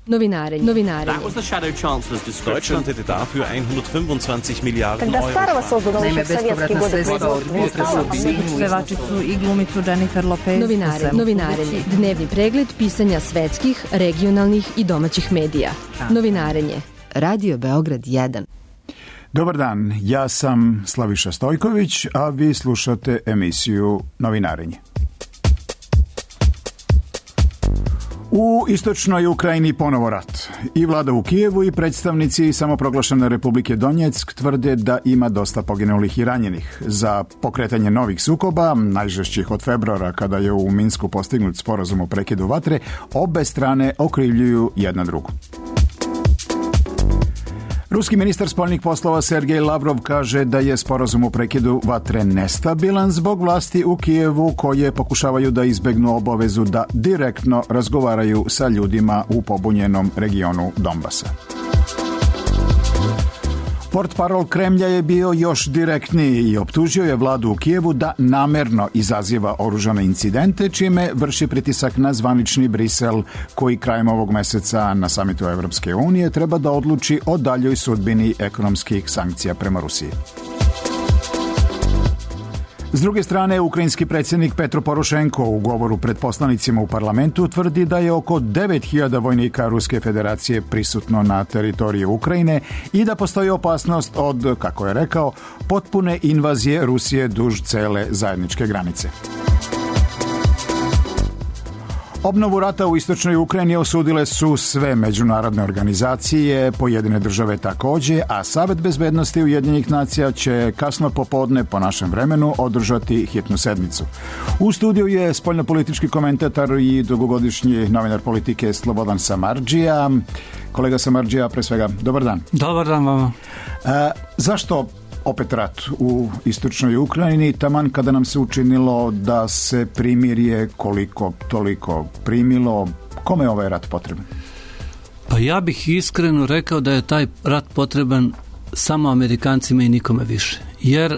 Novinarenje. Deutschland hätte dafür 125 Milijardi Kada starova sozdu Naime, bespovratna sredstva od pevačicu i glumicu Jennifer Lopez. Novinarenje. Dnevni pregled pisanja svetskih, regionalnih i domaćih medija. Novinarenje. Radio Beograd 1. Dobar dan, ja sam Slaviša Stojković, a vi slušate emisiju Novinarenje. U istočnoj Ukrajini ponovo rat. I vlada u Kijevu i predstavnici samoproglašene Republike Donjeck tvrde da ima dosta poginulih i ranjenih. Za pokretanje novih sukoba, najžešćih od februara kada je u Minsku postignut sporazum o prekidu vatre, obe strane okrivljuju jedna drugu. Ruski ministar spoljnih poslova Sergej Lavrov kaže da je sporazum o prekidu vatre nestabilan zbog vlasti u Kijevu koje pokušavaju da izbegnu obavezu da direktno razgovaraju sa ljudima u pobunjenom regionu Donbasa. Portparol Kremlja je bio još direktniji i optužio je vladu u Kijevu da namerno izaziva oružane incidente, čime vrši pritisak na zvanični Brisel, koji krajem ovog meseca na samitu Evropske unije treba da odluči o daljoj sudbini ekonomskih sankcija prema Rusiji. S druge strane, ukrajinski predsjednik Petro Porošenko u govoru pred poslanicima u parlamentu tvrdi da je oko 9000 vojnika Ruske federacije prisutno na teritoriji Ukrajine i da postoji opasnost od, kako je rekao, potpune invazije Rusije duž cele zajedničke granice. Obnovu rata u istočnoj Ukrajini osudile su sve međunarodne organizacije, pojedine države također, a Savet bezbednosti Ujedinjenih nacija će kasno popodne po našem vremenu održati hitnu sednicu. U studiju je spoljnopolitički komentator i dugogodišnji novinar politike Slobodan Samardžija. Kolega Samardžija, pre svega, dobar dan. Dobar dan vama. Zašto opet rat u istočnoj Ukrajini, taman kada nam se učinilo da se primirje koliko toliko primilo? Kome je ovaj rat potreban? Pa ja bih iskreno rekao da je taj rat potreban samo Amerikancima i nikome više. Jer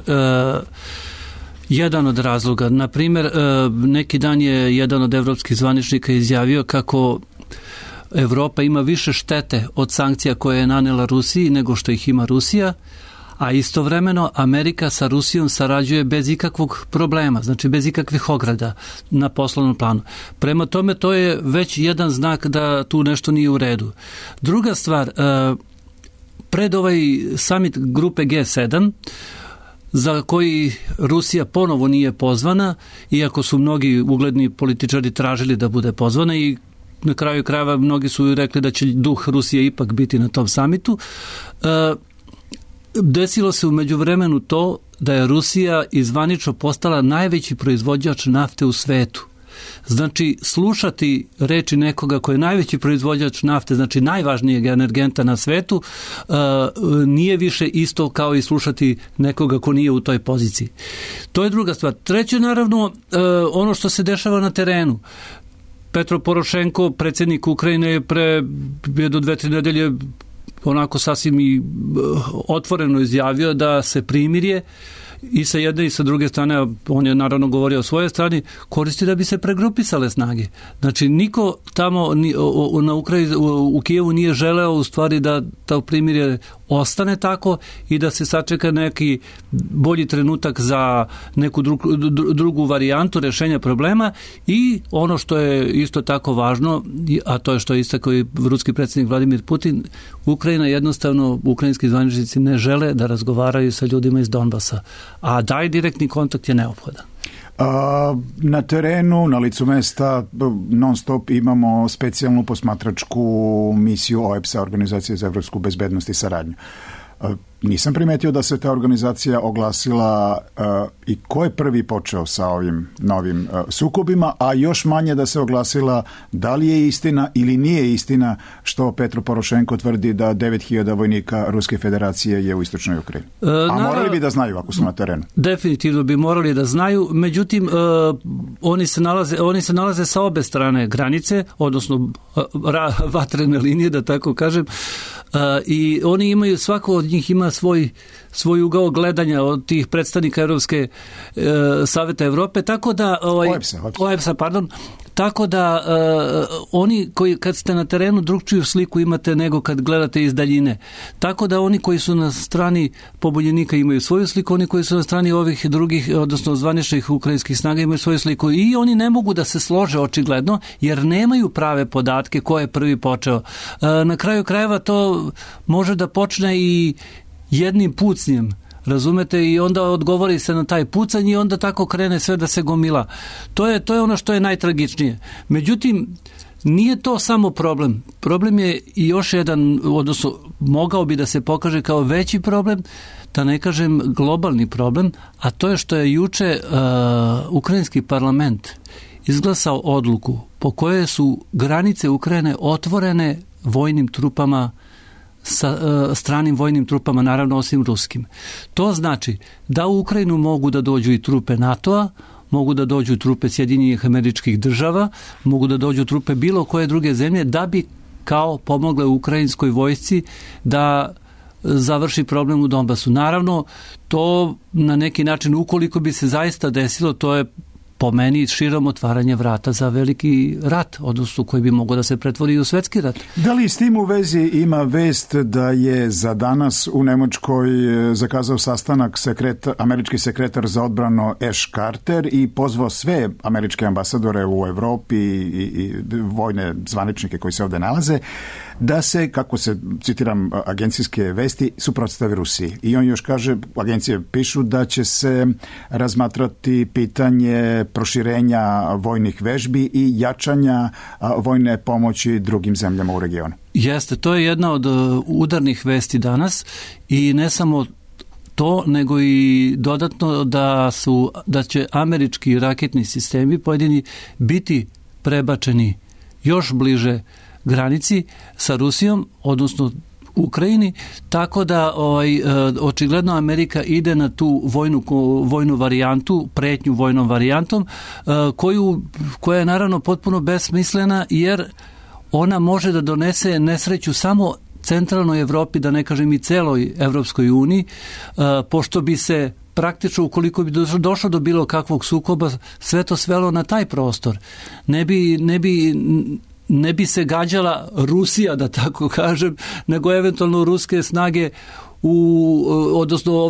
jedan od razloga, na primjer, neki dan je jedan od evropskih zvaničnika izjavio kako Evropa ima više štete od sankcija koje je nanela Rusiji nego što ih ima Rusija, a istovremeno Amerika sa Rusijom sarađuje bez ikakvog problema, znači bez ikakvih ograda na poslovnom planu. Prema tome, to je već jedan znak da tu nešto nije u redu. Druga stvar, pred ovaj summit grupe G7, za koji Rusija ponovo nije pozvana, iako su mnogi ugledni političari tražili da bude pozvana i na kraju krajeva mnogi su rekli da će duh Rusije ipak biti na tom summitu, desilo se u međuvremenu to da je Rusija izvanično postala najveći proizvođač nafte u svetu. Znači, slušati reči nekoga koji je najveći proizvođač nafte, znači najvažnijeg energenta na svetu, nije više isto kao i slušati nekoga ko nije u toj poziciji. To je druga stvar. Treće, naravno, ono što se dešava na terenu. Petro Porošenko, predsjednik Ukrajine, je pre do 2-3 nedelje onako sasvim i otvoreno izjavio da se primirje i sa jedne i sa druge strane, on je naravno govorio o svojoj strani, koristi da bi se pregrupisale snage. Znači, niko tamo u Kijevu nije želeo u stvari da to primirje ostane tako i da se sačeka neki bolji trenutak za neku drugu varijantu rješenja problema. I ono što je isto tako važno, a to je što je istakao i ruski predsjednik Vladimir Putin, Ukrajina jednostavno, ukrajinski zvaničnici ne žele da razgovaraju sa ljudima iz Donbasa, a taj direktni kontakt je neophodan. Na terenu, na licu mesta, non stop imamo specijalnu posmatračku misiju OEBS-a, Organizacije za evropsku bezbednost i saradnju. Nisam primetio da se ta organizacija oglasila i ko je prvi počeo sa ovim novim sukobima, a još manje da se oglasila da li je istina ili nije istina što Petro Porošenko tvrdi da 9000 vojnika Ruske federacije je u istočnoj Ukrajini. A morali bi da znaju ako su na terenu. Definitivno bi morali da znaju, međutim oni se nalaze sa obe strane granice, odnosno vatrene linije, da tako kažem, i oni imaju, svako od njih ima svoj ugao gledanja od tih predstavnika Saveta Evrope, tako da OEBS-a, Tako da oni koji kad ste na terenu drugčiju sliku imate nego kad gledate iz daljine. Tako da oni koji su na strani pobunjenika imaju svoju sliku, oni koji su na strani ovih drugih, odnosno zvaničnih ukrajinskih snaga imaju svoju sliku i oni ne mogu da se slože očigledno jer nemaju prave podatke ko je prvi počeo. Na kraju krajeva to može da počne i jednim pucnjem, razumete, i onda odgovori se na taj pucanj i onda tako krene sve da se gomila. To je ono što je najtragičnije. Međutim, nije to samo problem. Problem je i još jedan, odnosno mogao bi da se pokaže kao veći problem, da ne kažem globalni problem, a to je što je juče ukrajinski parlament izglasao odluku po kojoj su granice Ukrajine otvorene vojnim trupama, sa stranim vojnim trupama, naravno osim ruskim. To znači da u Ukrajinu mogu da dođu i trupe NATO-a, mogu da dođu trupe Sjedinjenih Američkih Država, mogu da dođu trupe bilo koje druge zemlje da bi kao pomogle ukrajinskoj vojsci da završi problem u Donbasu. Naravno, to na neki način, ukoliko bi se zaista desilo, to je po meni širom otvaranje vrata za veliki rat, odnosno koji bi mogao da se pretvori u svetski rat. Da li s tim u vezi ima vest da je za danas u Nemačkoj zakazao sastanak američki sekretar za odbranu Ash Carter i pozvao sve američke ambasadore u Evropi i vojne zvaničnike koji se ovde nalaze da se, kako se, citiram agencijske vesti, suprotstave Rusiji. I on još kaže, agencije pišu da će se razmatrati pitanje proširenja vojnih vežbi i jačanja vojne pomoći drugim zemljama u regionu. Jeste, to je jedna od udarnih vesti danas i ne samo to, nego i dodatno da će američki raketni sistemi pojedini biti prebačeni još bliže granici sa Rusijom, odnosno Ukrajini, tako da očigledno Amerika ide na tu vojnu varijantu, pretnju vojnom varijantom, koja je naravno potpuno besmislena, jer ona može da donese nesreću samo centralnoj Evropi, da ne kažem i celoj Evropskoj uniji, pošto bi se praktično, ukoliko bi došlo do bilo kakvog sukoba, sve to svelo na taj prostor. Ne bi se gađala Rusija, da tako kažem, nego eventualno ruske snage odnosno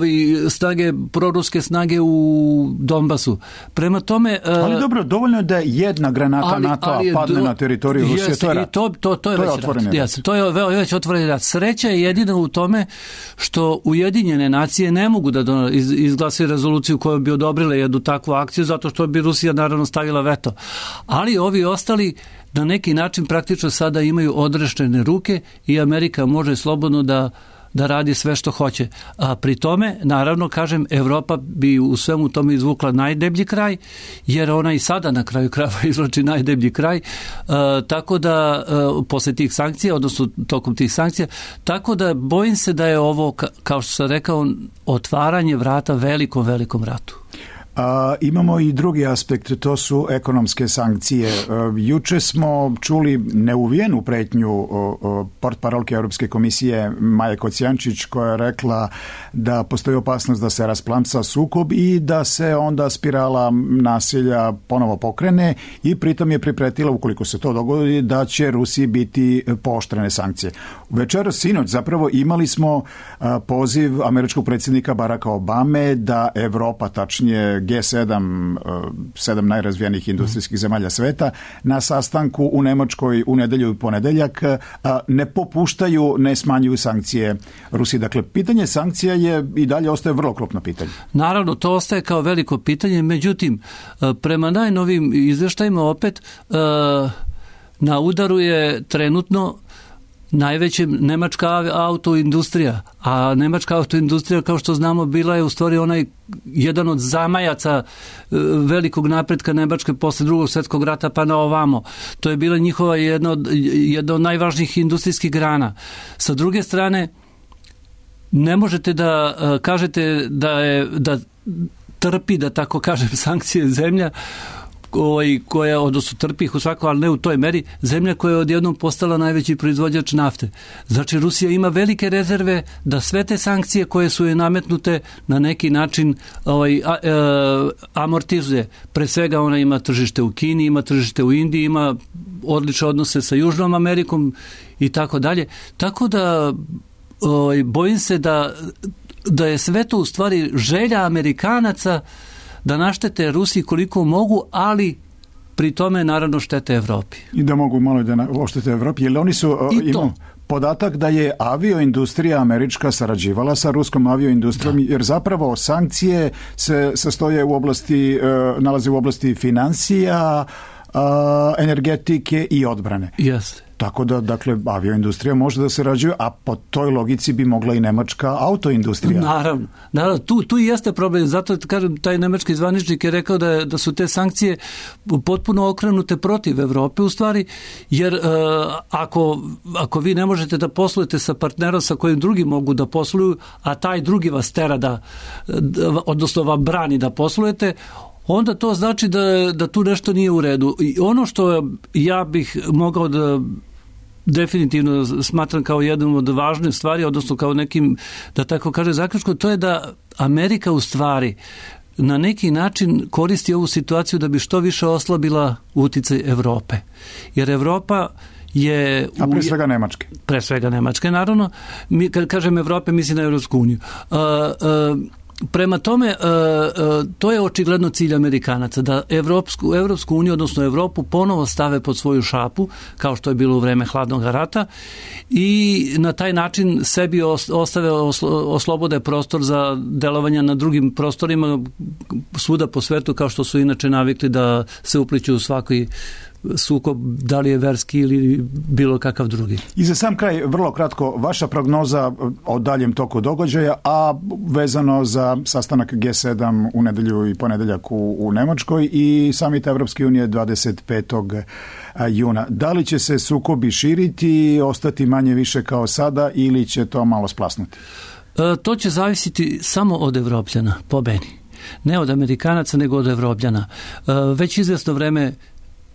proruske snage u Donbasu. Prema tome... Ali dobro, dovoljno je da jedna granata NATO-a padne na teritoriju Rusije, to je rat. To je već rat. To je već otvoreni rat. Sreća je jedina u tome što Ujedinjene nacije ne mogu da izglase rezoluciju koja bi odobrile jednu takvu akciju, zato što bi Rusija naravno stavila veto. Ali ovi ostali na neki način praktično sada imaju odrešene ruke i Amerika može slobodno da radi sve što hoće. A pri tome, naravno, kažem, Evropa bi u svemu tome izvukla najdeblji kraj, jer ona i sada na kraju krajeva izvlači najdeblji kraj, tako da posle tih sankcija, odnosno tokom tih sankcija, tako da bojim se da je ovo, kao što sam rekao, otvaranje vrata velikom ratu. Imamo i drugi aspekt, to su ekonomske sankcije. Juče smo čuli neuvijenu pretnju portparolke Europske komisije Maje Kocijančić, koja je rekla da postoji opasnost da se rasplamsa sukob i da se onda spirala nasilja ponovo pokrene i pritom je pripretila, ukoliko se to dogodi, da će Rusiji biti pooštrene sankcije. Večeras, sinoć, zapravo imali smo poziv američkog predsjednika Baracka Obame da Evropa, tačnije G7, 7 najrazvijenijih industrijskih zemalja sveta, na sastanku u Nemačkoj u nedelju i ponedeljak ne popuštaju, ne smanjuju sankcije Rusiji. Dakle, pitanje sankcija je i dalje ostaje vrlo krupno pitanje. Naravno, to ostaje kao veliko pitanje, međutim, prema najnovim izveštajima opet na udaru je trenutno najveća nemačka autoindustrija, a nemačka autoindustrija, kao što znamo, bila je u stvari jedan od zamajaca velikog napretka Nemačke posle Drugog svjetskog rata pa na ovamo. To je bila njihova jedna od najvažnijih industrijskih grana. Sa druge strane, ne možete da kažete da trpi, da tako kažem, sankcije zemlja koja odnosno trpi ih u svakom, ali ne u toj meri, zemlja koja je odjednom postala najveći proizvođač nafte. Znači Rusija ima velike rezerve da sve te sankcije koje su je nametnute na neki način amortizuje. Pre svega ona ima tržište u Kini, ima tržište u Indiji, ima odlične odnose sa Južnom Amerikom i tako dalje. Tako da bojim se da je sve to u stvari želja Amerikanaca da naštete Rusiji koliko mogu, ali pri tome naravno štete Evropi. I da mogu malo da oštete Evropi, jer oni su imaju podatak da je avioindustrija američka sarađivala sa ruskom avioindustrijom, jer zapravo sankcije se sastoje nalaze u oblasti financija, energetike i odbrane. Jeste. Tako da, dakle, avioindustrija može da sarađuje, a po toj logici bi mogla i nemačka autoindustrija. Naravno, tu i jeste problem. Zato kažem, taj nemački zvaničnik je rekao da su te sankcije potpuno okrenute protiv Evrope u stvari, jer ako vi ne možete da poslujete sa partnerom sa kojim drugi mogu da posluju, a taj drugi vas tera odnosno vam brani da poslujete, onda to znači da tu nešto nije u redu. I ono što ja bih mogao da definitivno smatram kao jednom od važnih stvari, odnosno kao nekim, da tako kaže, zaključkom, to je da Amerika u stvari na neki način koristi ovu situaciju da bi što više oslabila uticaj Evrope. Jer Evropa je... A pre svega Nemačke. Pre svega Nemačke, naravno. Kad kažem Evrope, mislim na Evropsku uniju. Prema tome, to je očigledno cilj Amerikanaca, da Evropsku uniju, odnosno Evropu, ponovo stave pod svoju šapu, kao što je bilo u vreme hladnog rata, i na taj način sebi oslobode prostor za delovanja na drugim prostorima svuda po svetu, kao što su inače navikli da se upliću u svaki sukob, da li je verski ili bilo kakav drugi. I za sam kraj, vrlo kratko, vaša prognoza o daljem toku događaja, a vezano za sastanak G7 u nedelju i ponedeljak u Nemačkoj i samit Evropske unije 25. juna. Da li će se sukobi širiti, ostati manje više kao sada ili će to malo splasnuti? To će zavisiti samo od Evropljana, po meni. Ne od Amerikanaca, nego od Evropljana. Već izvjesno vreme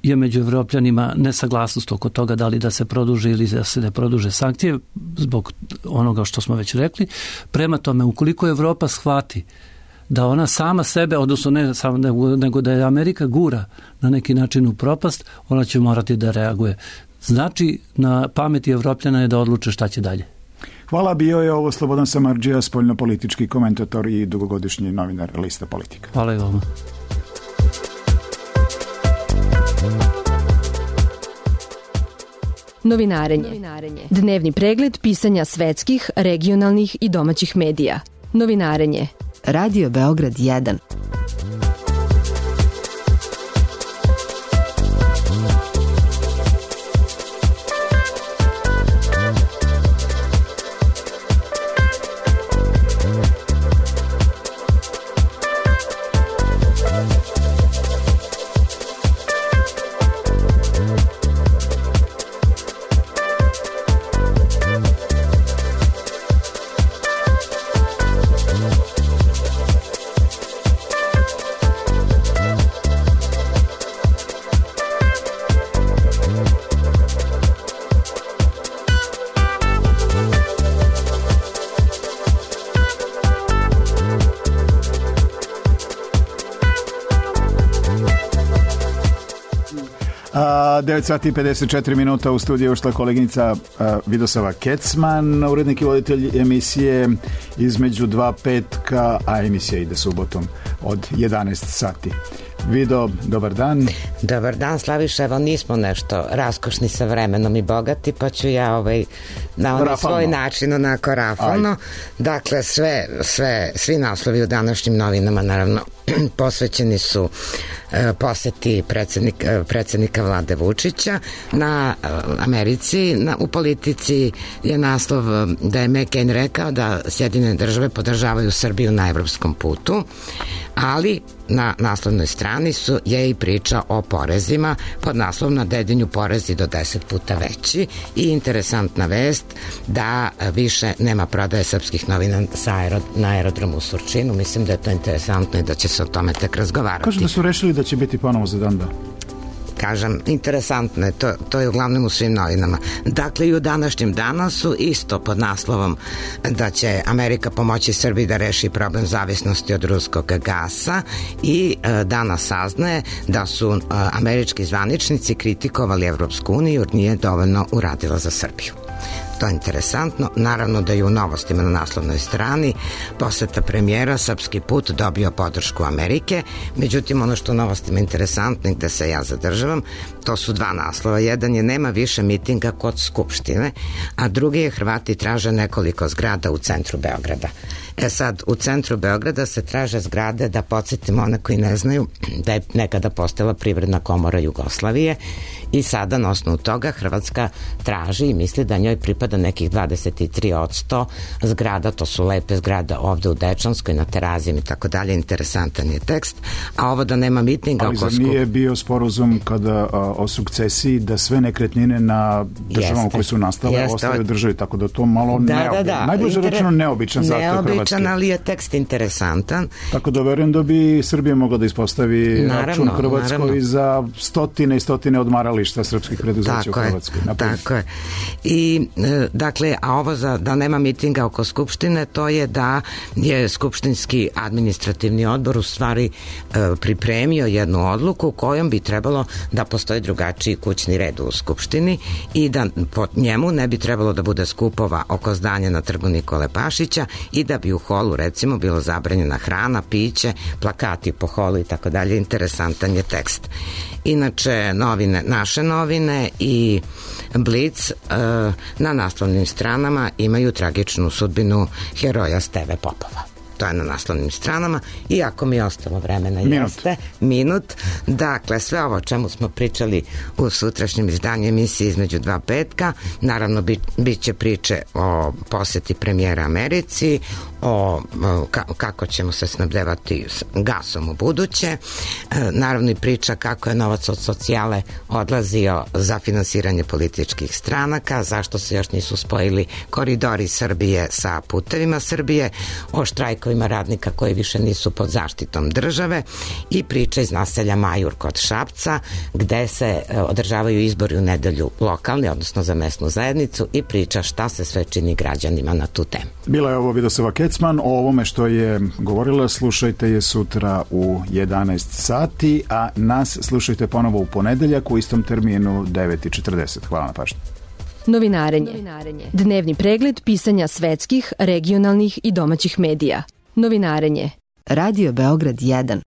je među Evropljanima nesaglasnost oko toga da li da se produže ili da se ne produže sankcije zbog onoga što smo već rekli. Prema tome, ukoliko Evropa shvati da ona sama sebe, odnosno ne samo nego da je Amerika gura na neki način u propast, ona će morati da reaguje. Znači, na pameti Evropljana je da odluče šta će dalje. Hvala, bio je ovo Slobodan Samardžija, spoljnopolitički komentator i dugogodišnji novinar Lista Politika. Hvala i vama. Novinarenje. Dnevni pregled pisanja svetskih, regionalnih i domaćih medija. Novinarenje. Radio Beograd 1. A 9 sati i 54 minuta u studiju ušla koleginica Vidosava Kecman, urednik i voditelj emisije između dva petka, a emisija ide subotom od 11 sati. Vido, dobar dan. Dobar dan, Slaviša, evo nismo nešto raskošni sa vremenom i bogati, pa ću ja na onaj svoj način onako rafalno. Dakle, svi naslovi u današnjim novinama naravno posvećeni su poseti predsjednika Vlade Vučića na Americi. U Politici je naslov da je McCain rekao da Sjedinjene države podržavaju Srbiju na evropskom putu, ali na naslovnoj strani je i priča o porezima pod naslovom na Dedinju porezi do 10 puta veći i interesantna vest da više nema prodaje srpskih novina na aerodromu u Surčinu. Mislim da je to interesantno i da će se o tome tek razgovarati. Kažu da su rešili da će biti ponovo za dan? Kažem, interesantno je, to je uglavnom u svim novinama. Dakle, i u današnjem Danasu isto pod naslovom da će Amerika pomoći Srbiji da reši problem zavisnosti od ruskog gasa i Danas saznaje da su američki zvaničnici kritikovali Evropsku uniju jer nije dovoljno uradila za Srbiju. To je interesantno. Naravno da je u novostima na naslovnoj strani poseta premijera srpski put dobio podršku Amerike. Međutim, ono što u novostima je interesantno i gde se ja zadržavam, to su dva naslova. Jedan je nema više mitinga kod Skupštine, a drugi je Hrvati traže nekoliko zgrada u centru Beograda. Sad, u centru Beograda se traže zgrade, da podsjetimo one koji ne znaju, da je nekada postojala Privredna komora Jugoslavije i sada na osnovu toga Hrvatska traži i misli da njoj pripada nekih 23% zgrada, to su lepe zgrade ovde u Dečanskoj, na Terazijama i tako dalje, interesantan je tekst, a ovo da nema mitinga... Ali zar nije bio sporazum kada o sukcesiji da sve nekretnine na državama koje su nastale ostaju državi, tako da to malo najbliže rečeno neobičan zahtev Hrvatske. Ali je tekst interesantan. Tako da verujem da bi Srbija mogla da ispostavi račun Hrvatskoj za stotine i stotine odmarališta srpskih preduzeća u Hrvatskoj. Tako je. I, dakle, a ovo da nema mitinga oko Skupštine, to je da je Skupštinski administrativni odbor u stvari pripremio jednu odluku kojom bi trebalo da postoji drugačiji kućni red u Skupštini i da po njemu ne bi trebalo da bude skupova oko zdanja na Trgu Nikole Pašića i da bi u holu recimo bilo zabranjena hrana, piće, plakati po holu i tako dalje. Interesantan je tekst. Inače, naše novine i Blic na naslovnim stranama imaju tragičnu sudbinu heroja Steve Popova. To je na naslovnim stranama i ako mi je ostalo vremena jeste minut. Dakle, sve ovo o čemu smo pričali u sutrašnjem izdanju emisije Između dva petka, naravno bit će priče o poseti premijera Americi, o kako ćemo se snabdevati gasom u buduće, naravno i priča kako je novac od socijale odlazio za finansiranje političkih stranaka, zašto se još nisu spojili koridori Srbije sa putevima Srbije, o štrajkovima radnika koji više nisu pod zaštitom države i priča iz naselja Majur kod Šapca gde se održavaju izbori u nedelju lokalni, odnosno za mesnu zajednicu i priča šta se sve čini građanima na tu temu. Bila je ovo Vidosava Kecman, o ovome što je govorila slušajte je sutra u 11 sati, a nas slušajte ponovo u ponedeljak u istom terminu 9:40. Hvala na pažnju. Novinarenje. Dnevni pregled pisanja svetskih, regionalnih i domaćih medija. Novinarenje. Radio Beograd 1.